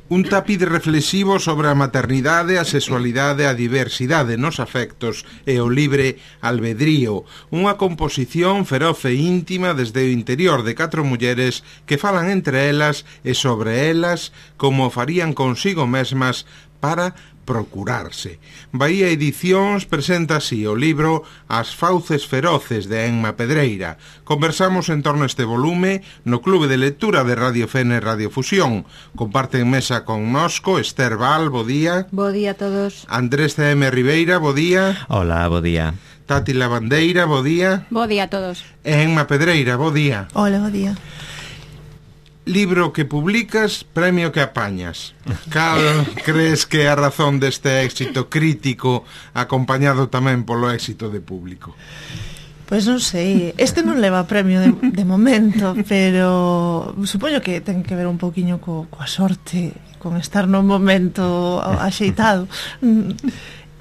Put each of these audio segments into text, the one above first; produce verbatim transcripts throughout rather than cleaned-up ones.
Un tapiz reflexivo sobre a maternidade, a sexualidade, a diversidade nos afectos e o libre albedrío. Unha composición feroz e íntima desde o interior de catro mulleres que falan entre elas e sobre elas como farían consigo mesmas para procurarse. Bahía Edicións presenta así o libro As fauces feroces de Emma Pedreira. Conversamos en torno a este volume no Clube de Lectura de Radio Fene Radio Fusión. Comparten mesa con nosco Esther Val, bo día. Bo día a todos. Andrés C M Ribeira, bo día. Hola, bo día. Tati Lavandeira, bo día. Bo día a todos. E Emma Pedreira, bo día. Hola, bo día. Libro que publicas, premio que apañas. Cal crees que é a razón deste éxito crítico acompañado tamén polo éxito de público? Pois non sei, este non leva premio de, de momento, pero supoño que ten que ver un pouquiño co, coa sorte, con estar no momento axeitado,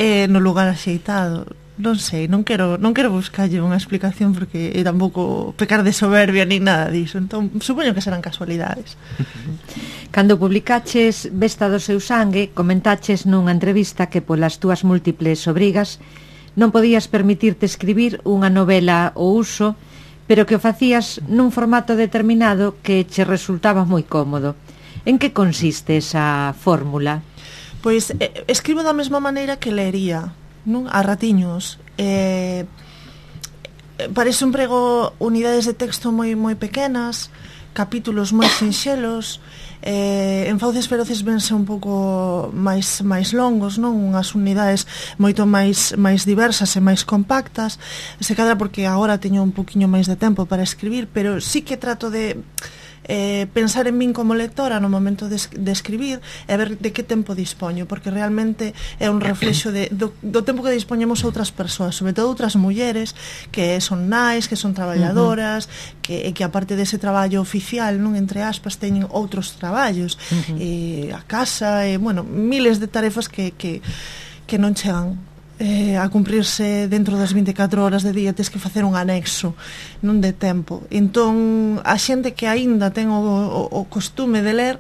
eh, no lugar axeitado. Non sei, non quero non quero buscarlle unha explicación porque é tampouco pecar de soberbia ni nada diso. Entón, supoño que serán casualidades. Cando publicaches Besta do seu sangue, comentaches nunha entrevista que polas túas múltiples obrigas non podías permitirte escribir unha novela ao uso, pero que o facías nun formato determinado que che resultaba moi cómodo. En que consiste esa fórmula? Pois eh, escribo da mesma maneira que leería, non? A ratiños. Eh, para iso emprego unidades de texto moi moi pequenas, capítulos moi sinxelos. Eh, en Fauces feroces vense un pouco máis máis longos, non? Unhas unidades moito máis máis diversas e máis compactas. Se cadra porque agora teño un poquiño máis de tempo para escribir, pero sí que trato de Eh, pensar en min como lectora no momento de, de escribir e ver de que tempo dispoño, porque realmente é un reflexo de, do, do tempo que dispoñemos outras persoas, sobre todo outras mulleres que son nais, que son traballadoras, uh-huh. que, que aparte dese traballo oficial, non, entre aspas, teñen outros traballos, uh-huh. e a casa, e, bueno, miles de tarefas que, que, que non chegan Eh, a cumprirse dentro das vinte e catro horas de día. Tes que facer un anexo, non de tempo. Entón, a xente que aínda ten o, o, o costume de ler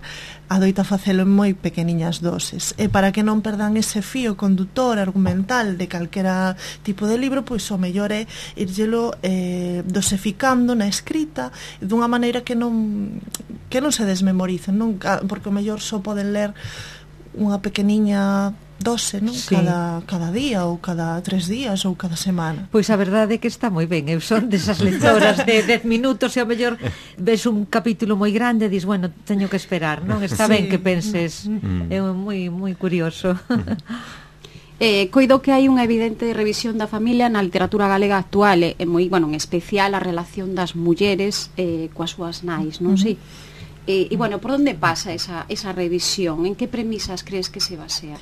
adoita facelo en moi pequeniñas doses, e para que non perdan ese fío condutor argumental de calquera tipo de libro, pois o mellor é irllelo eh, dosificando na escrita dunha maneira que non que non se desmemoricen, non? Porque o mellor só poden ler unha pequeniña dose, non? Sí. Cada, cada día ou cada tres días ou cada semana. Pois a verdade é que está moi ben. Eu son desas lectoras de dez minutos e ao mellor ves un capítulo moi grande e dis, bueno, teño que esperar, non? Está sí. ben que penses. Mm. É moi moi curioso. Eh, coido que hai unha evidente revisión da familia na literatura galega actual e moi, bueno, en especial a relación das mulleres eh, coas súas nais, non? Uh-huh. Sí. E, e, bueno, por onde pasa esa, esa revisión? En que premisas crees que se basea?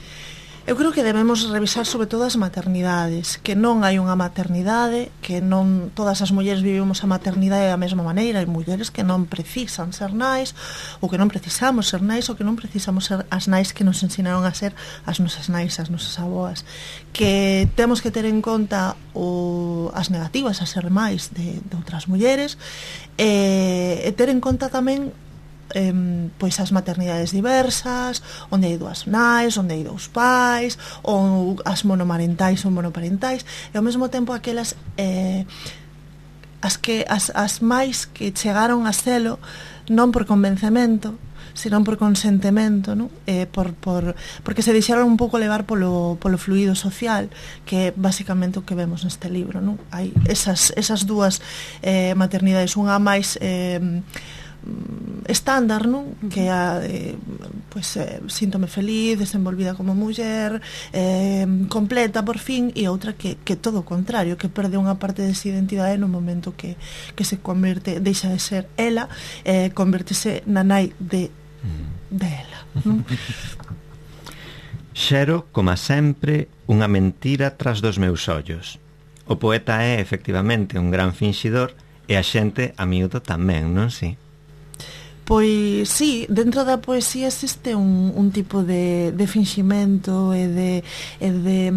Eu creo que debemos revisar sobre todo as maternidades, que non hai unha maternidade, que non todas as mulleres vivimos a maternidade da mesma maneira, hai mulleres que non precisan ser nais, ou que non precisamos ser nais, ou que non precisamos ser as nais que nos ensinaron a ser as nosas nais, as nosas aboas, que temos que ter en conta o, as negativas a ser máis de, de outras mulleres, e, e ter en conta tamén Eh, pois as maternidades diversas, onde hai dúas nais, onde hai dous pais, ou as monomarentais ou monoparentais, e ao mesmo tempo aquelas eh, as que as, as máis que chegaron a selo non por convencemento, senón por consentimento, non? Eh, por, por, porque se deixaron un pouco levar polo, polo fluido social, que é basicamente o que vemos neste libro, non? Hai esas, esas dúas eh, maternidades, unha máis eh, estándar, non? Que a eh, pois eh, síntome feliz, desenvolvida como muller, eh, completa por fin, e outra que, que todo o contrario, que perde unha parte desa identidade no momento que, que se converte, deixa de ser ela, eh, convertese na nai de, de ela, non? Xero, como sempre, unha mentira tras dos meus ollos. O poeta é, efectivamente, un gran finxidor, e a xente, a miúdo, tamén, non si? Pois sí, dentro da poesía existe un, un tipo de, de finximento e de, e de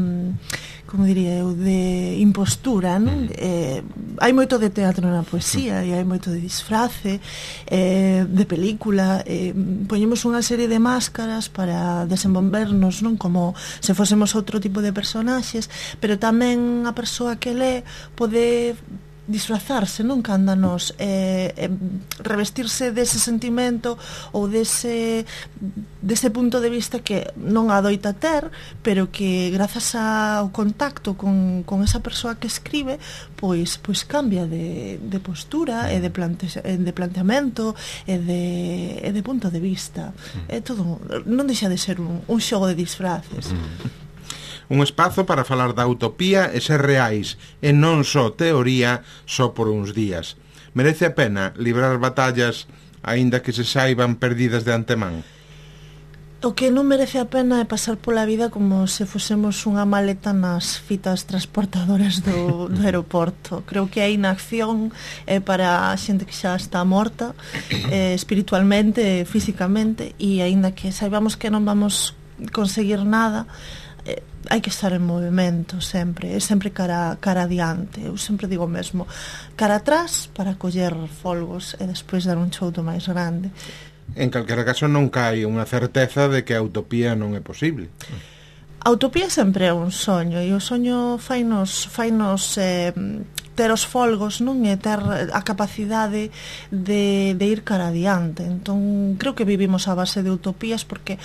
como diría eu, de impostura, non? Eh, hai moito de teatro na poesía e hai moito de disfrace, eh, de película, eh, poñemos unha serie de máscaras para desenvolvernos, non? Como se fósemos outro tipo de personaxes, pero tamén a persoa que lé pode disfrazarse, non? Cándanos eh, eh, revestirse dese sentimento ou dese dese punto de vista que non adoita ter, pero que grazas ao contacto con, con esa persoa que escribe, pois pois cambia de, de postura e de, plante, de planteamento e de, e de punto de vista. É todo, non deixa de ser un, un xogo de disfraces. Un espazo para falar da utopía e ser reais, e non só teoría, só por uns días. Merece a pena librar batallas, aínda que se saiban perdidas de antemán? O que non merece a pena é pasar pola vida como se fosemos unha maleta nas fitas transportadoras do, do aeroporto. Creo que a inacción é para a xente que xa está morta, eh, espiritualmente, físicamente, e aínda que saibamos que non vamos conseguir nada, eh, hai que estar en movimento sempre, é sempre cara, cara adiante. Eu sempre digo mesmo, cara atrás para coller folgos e despois dar un chouto máis grande. En calquera caso non cae unha certeza de que a utopía non é posible. A utopía sempre é un soño, e o soño fainos, fainos eh, ter os folgos, non? E ter a capacidade de, de ir cara adiante. Entón, creo que vivimos a base de utopías porque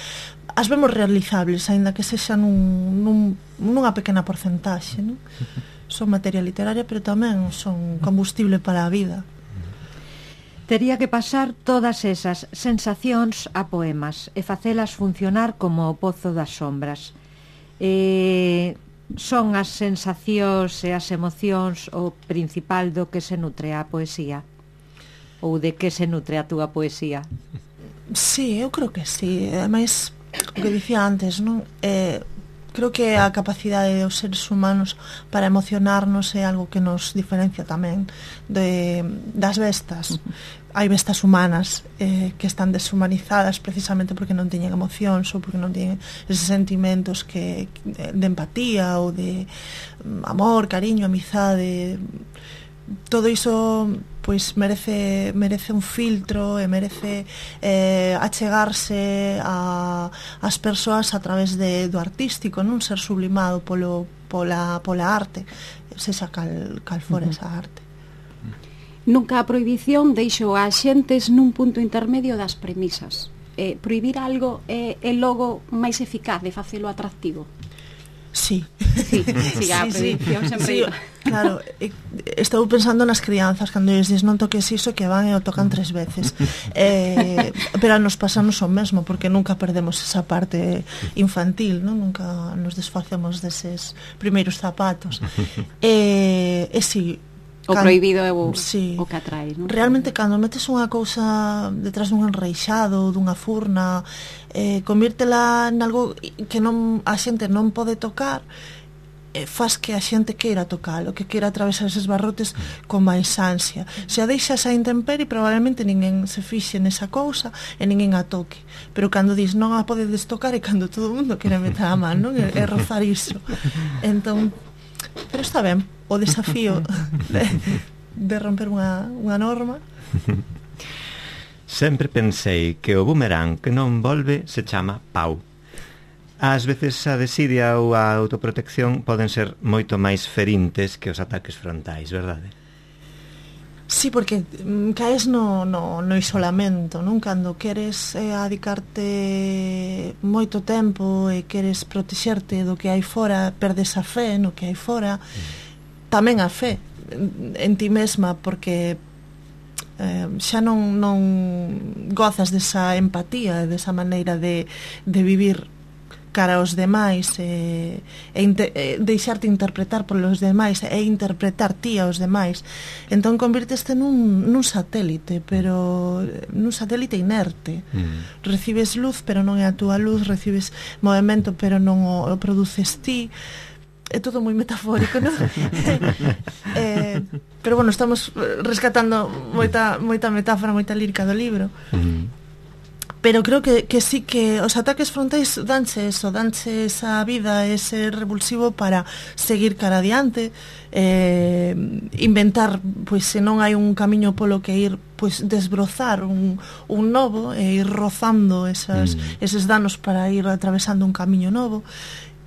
as vemos realizables, aínda que sexa nun, nun, nunha pequena porcentaxe, non? Son materia literaria, pero tamén son combustible para a vida. Tería que pasar todas esas sensacións a poemas e facelas funcionar como o pozo das sombras. E son as sensacións e as emocións o principal do que se nutre a poesía? Ou de que se nutre a túa poesía? Sí, eu creo que sí. Ademais, o que dicía antes, non? Eh, creo que a capacidade dos seres humanos para emocionarnos é algo que nos diferencia tamén de, das bestas. Hai bestas humanas eh, que están deshumanizadas precisamente porque non teñen emocións ou porque non teñen eses sentimentos que, de empatía ou de amor, cariño, amizade. Todo iso pois merece merece un filtro e merece eh, achegarse a as persoas a través de, do artístico, non ser sublimado polo, pola, pola arte, sexa cal, cal fora uh-huh. esa arte. Nunca a prohibición deixou a xentes nun punto intermedio das premisas. Eh, prohibir algo é, é logo máis eficaz de facelo atractivo. Sí. Sí, sí, a prohibición sempre sí, iba. Claro, estou pensando nas crianzas cando lles dis non toques iso, que van e o tocan tres veces. Eh, pero nos pasamos o mesmo porque nunca perdemos esa parte infantil, non? Nunca nos desfacemos deses primeiros zapatos. E, e si o can... prohibido é o, sí. o que atrae, non? Realmente, cando metes unha cousa detrás dun enreixado, dunha furna, eh, convírtela en algo que non a xente non pode tocar, eh, faz que a xente queira tocalo, que queira atravesar eses barrotes con máis ansia. Se a deixas a intemperie, probablemente ninguén se fixe nesa cousa e ninguén a toque. Pero cando dis non a podedes tocar é cando todo o mundo quere meter a man, non? E, e rozar iso. Entón, pero está ben, o desafío de, de romper unha, unha norma. Sempre pensei que o boomerang que non volve se chama pau. Ás veces a desidia ou a autoprotección poden ser moito máis ferintes que os ataques frontais, verdade? Sí, porque mm, caes no, no, no isolamento, non? Cando queres eh, adicarte moito tempo e queres protexerte do que hai fora, perdes a fe no que hai fora, mm. tamén a fe en ti mesma, porque eh, xa non, non gozas desa empatía, desa maneira de, de vivir cara aos demais e, e, inter, e deixarte interpretar polos demais e interpretar ti aos demais. Entón convirteste nun, nun satélite, pero nun satélite inerte. Mm. Recibes luz, pero non é a túa luz, recibes movimento, pero non o, o produces ti. É todo moi metafórico, non? eh, pero bueno, estamos rescatando moita, moita metáfora, moita lírica do libro. Mm. pero creo que, que sí que os ataques frontais danche eso, danche esa vida, ese revulsivo para seguir cara adiante, eh, inventar, pois se non hai un camiño polo que ir, pois desbrozar un, un novo e ir rozando esas, mm. eses danos para ir atravesando un camiño novo,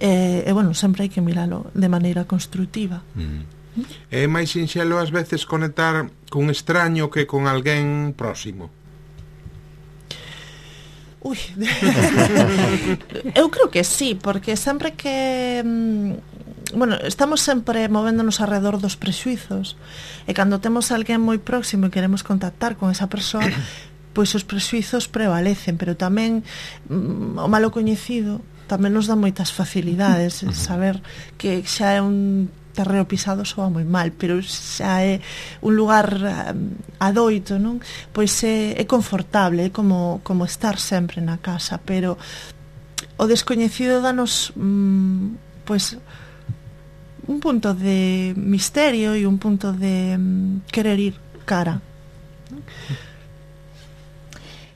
e, e bueno, sempre hai que miralo de maneira constructiva. Mm. É máis sinxelo ás veces conectar cun extraño que con alguén próximo? Ui, eu creo que sí, porque sempre que bueno, estamos sempre movéndonos alrededor dos prexuizos, e cando temos alguén moi próximo e queremos contactar con esa persoa, pois os prexuizos prevalecen, pero tamén mm, o malo coñecido tamén nos dá moitas facilidades, saber que xa é un terreo pisado soa moi mal, pero xa é un lugar um, adoito, non? Pois é, é confortable, é como, como estar sempre na casa, pero o descoñecido danos um, pois un punto de misterio e un punto de um, querer ir cara.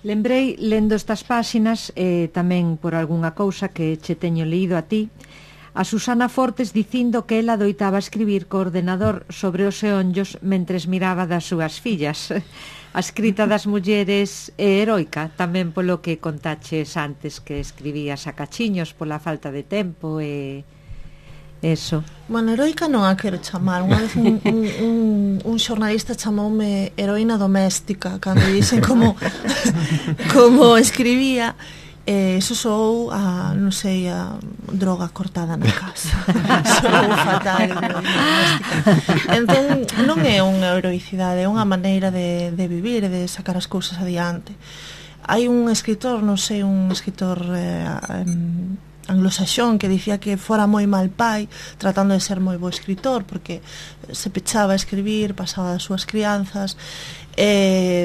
Lembrei, lendo estas páxinas, e eh, tamén por algunha cousa que che teño leído a ti, a Susana Fortes dicindo que ela doitaba escribir co ordenador sobre os eonllos mentres miraba das súas fillas. A escrita das mulleres é heroica, tamén polo que contaches antes que escribías a cachiños pola falta de tempo e eso. Bueno, heroica non a quero chamar. Unha vez un, un, un, un xornalista chamoume heroína doméstica cando dixen como como escribía. Eh, eso sou a, non sei, a droga cortada na casa. Sou fatal. Entón, non é unha heroicidade, é unha maneira de, de vivir e de sacar as cousas adiante. Hai un escritor, non sei, un escritor eh, um, anglosaxón que dicía que fora moi mal pai tratando de ser moi bo escritor porque se pechaba a escribir, pasaba das súas crianzas. Eh,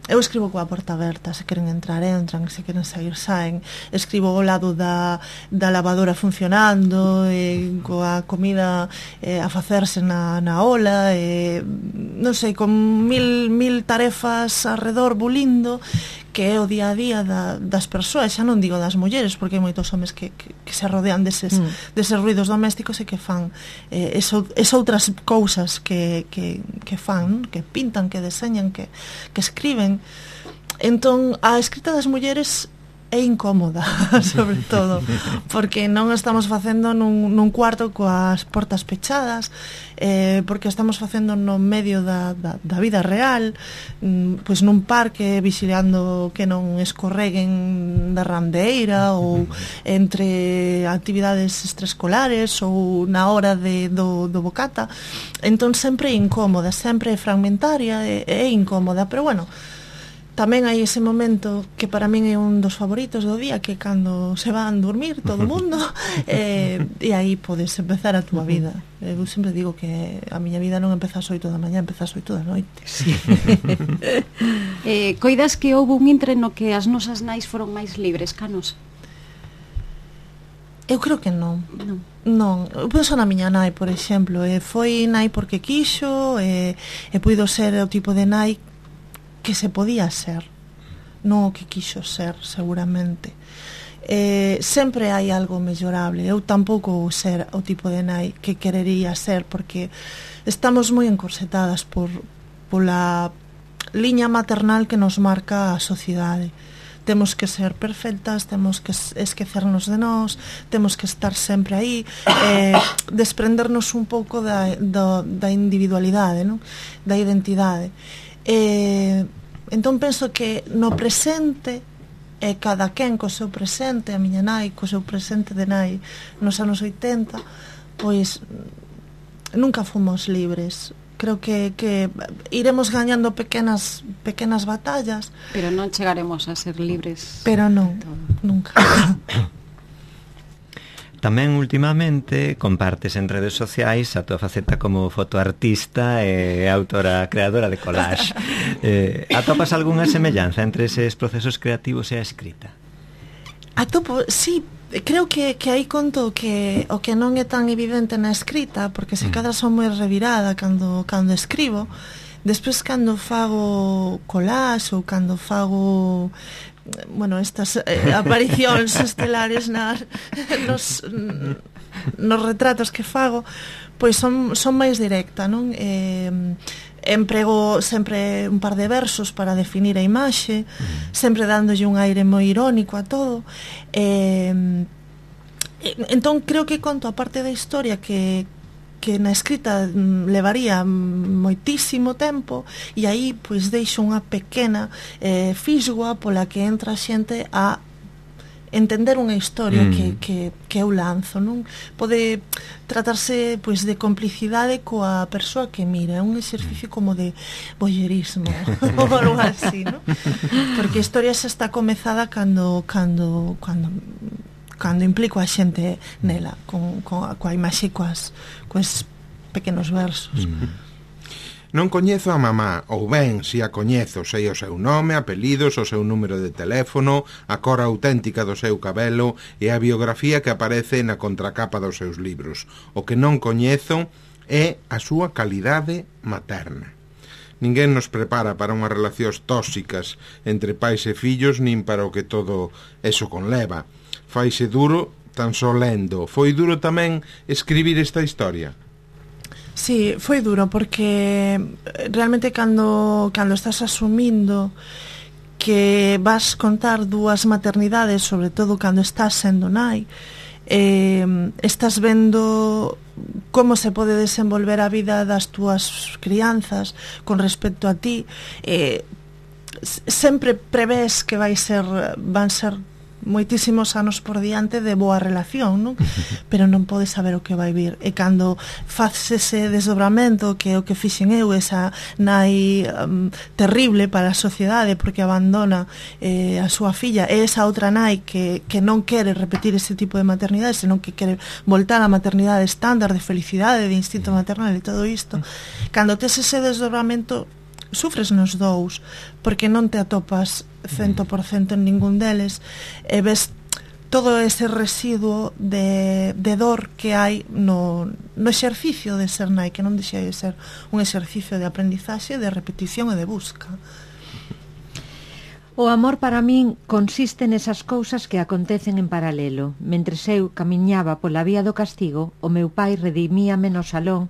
eu escribo coa porta aberta, se queren entrar entran, se queren sair saen, escribo ao lado da, da lavadora funcionando, eh, coa comida eh, a facerse na, na ola, eh, non sei, con mil, mil tarefas arredor bulindo, que é o día a día da, das persoas, xa non digo das mulleres, porque hai moitos homes que, que, que se rodean deses, mm. deses ruidos domésticos e que fan eh, eso, eso outras cousas que, que, que fan, que pintan, que deseñan, que, que escriben. Entón, a escrita das mulleres é incómoda, sobre todo, porque non estamos facendo nun, nun cuarto coas portas pechadas, eh, porque estamos facendo no medio da, da, da vida real, mm, pois nun parque, vigilando que non escorreguen da randeira, ou entre actividades extraescolares, ou na hora de, do, do bocata. Entón sempre é incómoda, sempre é fragmentaria, é, é incómoda, pero bueno, tamén hai ese momento que para min é un dos favoritos do día, que cando se van dormir todo o mundo eh, e aí podes empezar a túa vida. Eu sempre digo que a miña vida non empeza ás oito da mañá, empeza ás oito da noite. Sí. eh, Coidas que houve un intre no que as nosas nais foron máis libres, canos? Eu creo que non. Non. Non, eu penso na miña nai, por exemplo, e foi nai porque quixo, e, e puido ser o tipo de nai que se podía ser, non o que quixo ser, seguramente. Eh, sempre hai algo mellorable. Eu tampouco vou ser o tipo de nai que querería ser, porque estamos moi encorsetadas por pola liña maternal que nos marca a sociedade. Temos que ser perfectas, temos que esquecernos de nós, temos que estar sempre aí, eh, desprendernos un pouco da, da, da individualidade, non? Da identidade. Eh, entón penso que no presente e cada quen co seu presente, a miña nai co seu presente de nai nos anos oitenta, pois nunca fomos libres. Creo que, que iremos gañando pequenas pequenas batallas, pero non chegaremos a ser libres. Pero non, nunca. Tamén últimamente compartes en redes sociais a tua faceta como fotoartista e autora creadora de collage. eh, atopas algunha semellanza entre eses procesos creativos e a escrita? Atopo, sí, creo que, que aí conto que o que non é tan evidente na escrita, porque se cadra son moi revirada cando, cando escribo. Despois cando fago collage ou cando fago bueno, estas eh, aparicións estelares nas, nos, nos retratos que fago, pois son, son máis directa, non? Eh, emprego sempre un par de versos para definir a imaxe, sempre dándolle un aire moi irónico a todo. Eh, entón creo que conto a parte da historia que que na escrita levaría moitísimo tempo, e aí pois deixo unha pequena eh, fisgoa pola que entra a xente a entender unha historia mm. que, que, que eu lanzo, non? Pode tratarse pois de complicidade coa persoa que mira, é un exercicio como de voyerismo ou algo así, non? Porque a historia xa está comezada cando cando cando cando implico a xente nela, con, con, coa imaxe, coas, coas pequenos versos. Mm. Non coñezo a mamá, ou ben, si a coñezo, sei o seu nome, apelidos, o seu número de teléfono, a cor auténtica do seu cabelo e a biografía que aparece na contracapa dos seus libros. O que non coñezo é a súa calidade materna. Ninguén nos prepara para unhas relacións tóxicas entre pais e fillos, nin para o que todo eso conleva. Faise duro tan só lendo. Foi duro tamén escribir esta historia? Sí, foi duro porque realmente cando, cando estás asumindo que vas contar dúas maternidades, sobre todo cando estás sendo nai, eh, estás vendo como se pode desenvolver a vida das túas crianzas con respecto a ti, eh, sempre prevés que vai ser, van ser moitísimos anos por diante de boa relación, non? Pero non podes saber o que vai vir, e cando faz ese desdobramento, que é o que fixen eu, esa nai um, terrible para a sociedade porque abandona eh, a súa filla, e esa outra nai que, que non quere repetir ese tipo de maternidade, senón que quere voltar á maternidade estándar de felicidade, de instinto maternal e todo isto, cando tes ese desdobramento sufres nos dous, porque non te atopas cento por cento en ningún deles, e ves todo ese residuo de, de dor que hai no, no exercicio de ser nai, que non deixa de ser un exercicio de aprendizaxe, de repetición e de busca. O amor para min consiste nesas cousas que acontecen en paralelo. Mentres eu camiñaba pola vía do castigo, o meu pai redimíame no salón,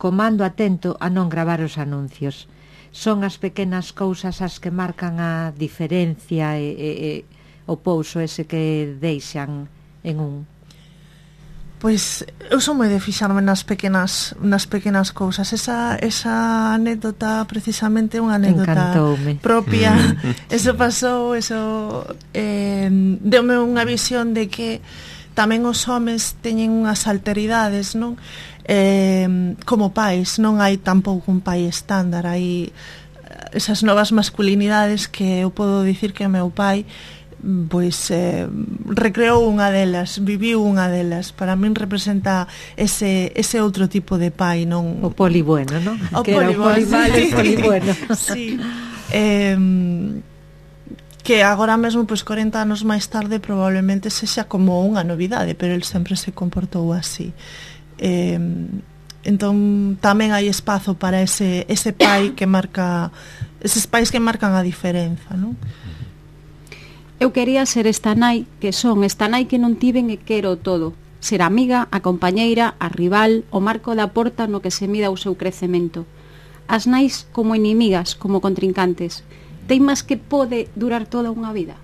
comando atento a non gravar os anuncios. Son as pequenas cousas as que marcan a diferencia e, e, e o pouso ese que deixan en un. Pois eu son moi de fixarme nas pequenas nas pequenas cousas. Esa esa anécdota precisamente é unha anécdota Encantoume. propia. Eso pasou, eso eh, deume unha visión de que tamén os homes teñen unhas alteridades, non? Eh, como pais, non hai tampouco un pai estándar, hai esas novas masculinidades que eu podo dicir que o meu pai pois eh, recreou unha delas, viviu unha delas. Para min representa ese, ese outro tipo de pai, non? O polibueno, non? O que polibueno, era o polibueno, sí. o polibueno. Sí. Eh, que agora mesmo, pois corenta anos máis tarde, probablemente sexa como unha novidade, pero el sempre se comportou así. Eh, entón tamén hai espazo para ese, ese pai que marca, eses pais que marcan a diferenza, non? Eu quería ser esta nai que son, esta nai que non tiven e quero todo. Ser a amiga, a compañeira, a rival, o marco da porta no que se mida o seu crecemento. As nais como inimigas, como contrincantes. Teimas que pode durar toda unha vida?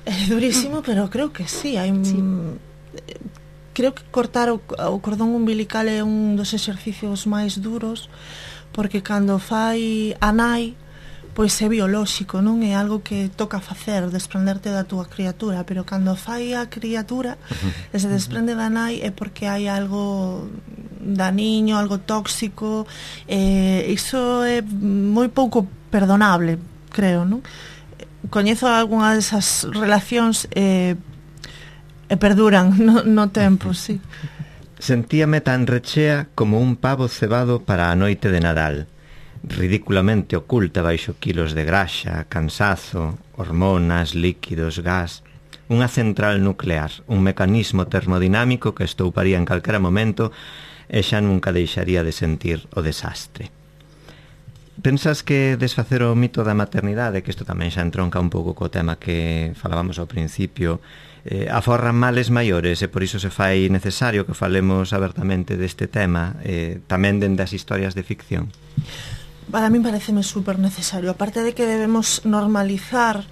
É durísimo, pero creo que sí, hai Sí. Creo que cortar o, o cordón umbilical é un dos exercicios máis duros, porque cando fai a nai, pois é biolóxico, non é algo que toca facer, desprenderte da túa criatura, pero cando fai a criatura e se desprende da nai é porque hai algo daniño, algo tóxico, e iso é moi pouco perdonable, creo, non? Coñezo algunha desas relacións e, e perduran no, no tempo, sí. Sentíame tan rechea como un pavo cebado para a noite de Nadal, ridiculamente oculta baixo quilos de graxa, cansazo, hormonas, líquidos, gas, unha central nuclear, un mecanismo termodinámico que estouparía en calquera momento e xa nunca deixaría de sentir o desastre. Pensas que desfacer o mito da maternidade, que isto tamén xa entronca un pouco co tema que falábamos ao principio, eh, aforran males maiores e por iso se fai necesario que falemos abertamente deste tema, eh, tamén dende as historias de ficción? Para mí pareceme super necesario, aparte de que debemos normalizar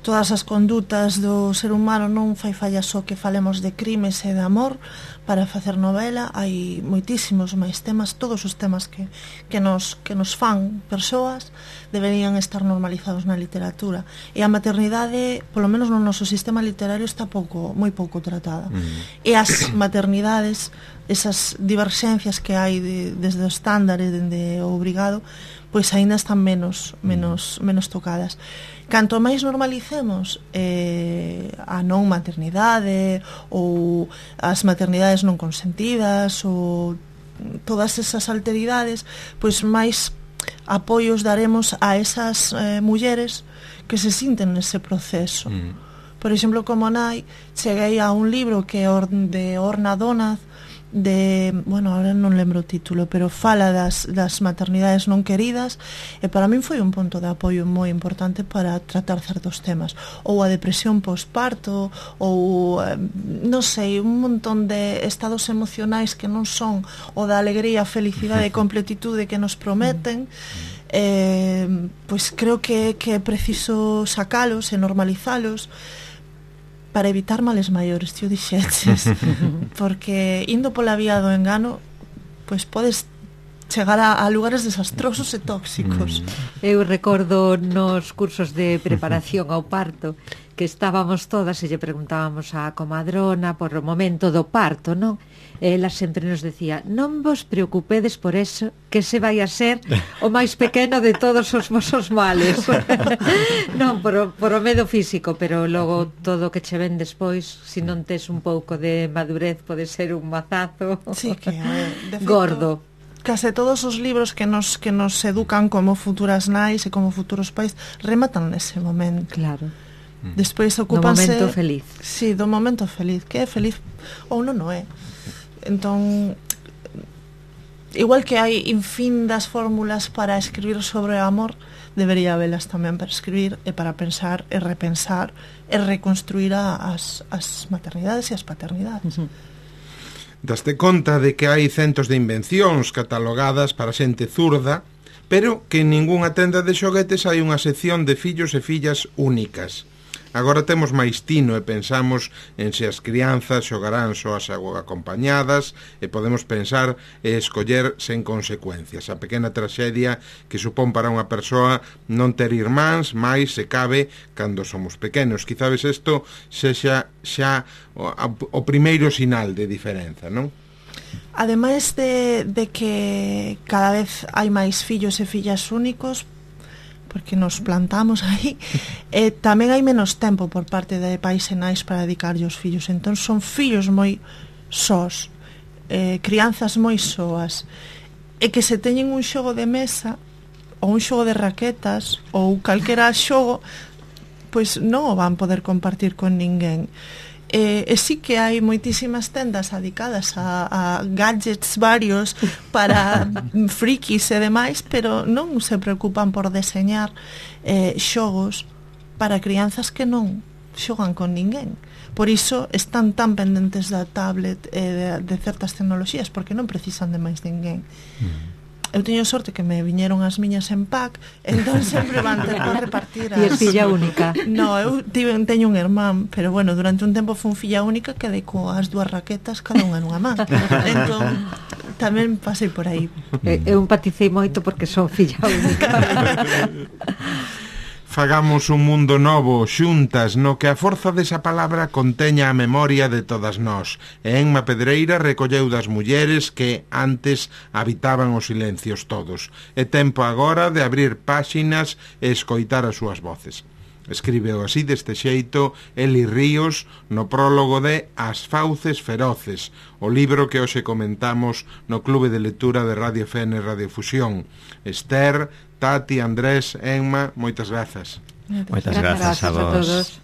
todas as condutas do ser humano, non fai falla só que falemos de crimes e de amor para facer novela, hai moitísimos máis temas, todos os temas que, que, nos, que nos fan persoas deberían estar normalizados na literatura, e a maternidade, polo menos no noso sistema literario, está pouco, moi pouco tratada, mm. e as maternidades, esas diverxencias que hai de, desde o estándar e dende o obrigado, pois aínda están menos, menos, menos tocadas. Canto máis normalicemos eh, a non maternidade ou as maternidades non consentidas ou todas esas alteridades, pois máis apoios daremos a esas eh, mulleres que se sinten nese proceso. Mm. Por exemplo, como nai, cheguei a un libro que é de Orna Donath, de, bueno, ahora non lembro o título, pero fala das, das maternidades non queridas, e para min foi un punto de apoio moi importante para tratar certos temas, ou a depresión posparto, ou eh, non sei, un montón de estados emocionais que non son o da alegría, felicidade e completitude que nos prometen. Eh, pois creo que, que é preciso sacalos e normalizalos para evitar males maiores, tío, dixeches. Porque indo pola vía do engano, pois podes chegar a, a lugares desastrosos e tóxicos. Eu recordo nos cursos de preparación ao parto que estábamos todas e lle preguntábamos á comadrona por o momento do parto, non? E ela sempre nos decía: non vos preocupedes por eso, que se vai a ser o máis pequeno de todos os vosos males. Non, por o, por o medo físico, pero logo todo o que che ven despois, se si non tes un pouco de madurez, pode ser un mazazo. Sí, que de feito, gordo. Case todos os libros que nos que nos educan como futuras nais e como futuros pais rematan nese momento. Claro. Despois ocupanse do momento feliz. Sí, do momento feliz, que é feliz ou non o é. Entón, igual que hai infindas fórmulas para escribir sobre o amor, debería habelas tamén para escribir e para pensar e repensar e reconstruir as, as maternidades e as paternidades. Uh-huh. Daste conta de que hai centos de invencións catalogadas para xente zurda, pero que en ningunha tenda de xoguetes hai unha sección de fillos e fillas únicas. Agora temos máis tino e pensamos en se as crianzas xogarán soas ou acompañadas, e podemos pensar e escoller sen consecuencias. A pequena traxedia que supón para unha persoa non ter irmáns, máis se cabe cando somos pequenos. Quizás isto sexa xa o, o primeiro sinal de diferenza, non? Ademais de, de que cada vez hai máis fillos e fillas únicos, porque nos plantamos aí, e tamén hai menos tempo por parte de pais e nais para dedicarlle aos fillos, entón son fillos moi sós, eh, crianzas moi soas, e que se teñen un xogo de mesa ou un xogo de raquetas ou calquera xogo, pois non o van poder compartir con ninguén. E, e sí que hai moitísimas tendas dedicadas a, a gadgets varios para frikis e demais, pero non se preocupan por deseñar eh, xogos para crianzas que non xogan con ninguén. Por iso están tan pendentes da tablet e de, de certas tecnoloxías, porque non precisan de máis ninguén. Mm. Eu teño sorte que me viñeron as miñas en pack, entón sempre van ter que repartir as... E es filla única? No, eu tive, teño un irmán, pero bueno, durante un tempo fun filla única, quedei coas dúas raquetas cada unha nunha man. Entón, tamén pasei por aí. Eu empaticei moito porque son filla única. Fagamos un mundo novo, xuntas, no que a forza desa palabra conteña a memoria de todas nós. E Enma Pedreira recolleu das mulleres que antes habitaban os silencios todos. É tempo agora de abrir páxinas e escoitar as súas voces. Escríbeo así deste xeito Eli Ríos no prólogo de As fauces feroces, o libro que hoxe comentamos no Clube de Lectura de Radio F N Radiofusión. Esther, Tati, Andrés, Enma, moitas grazas. Moitas grazas a vos.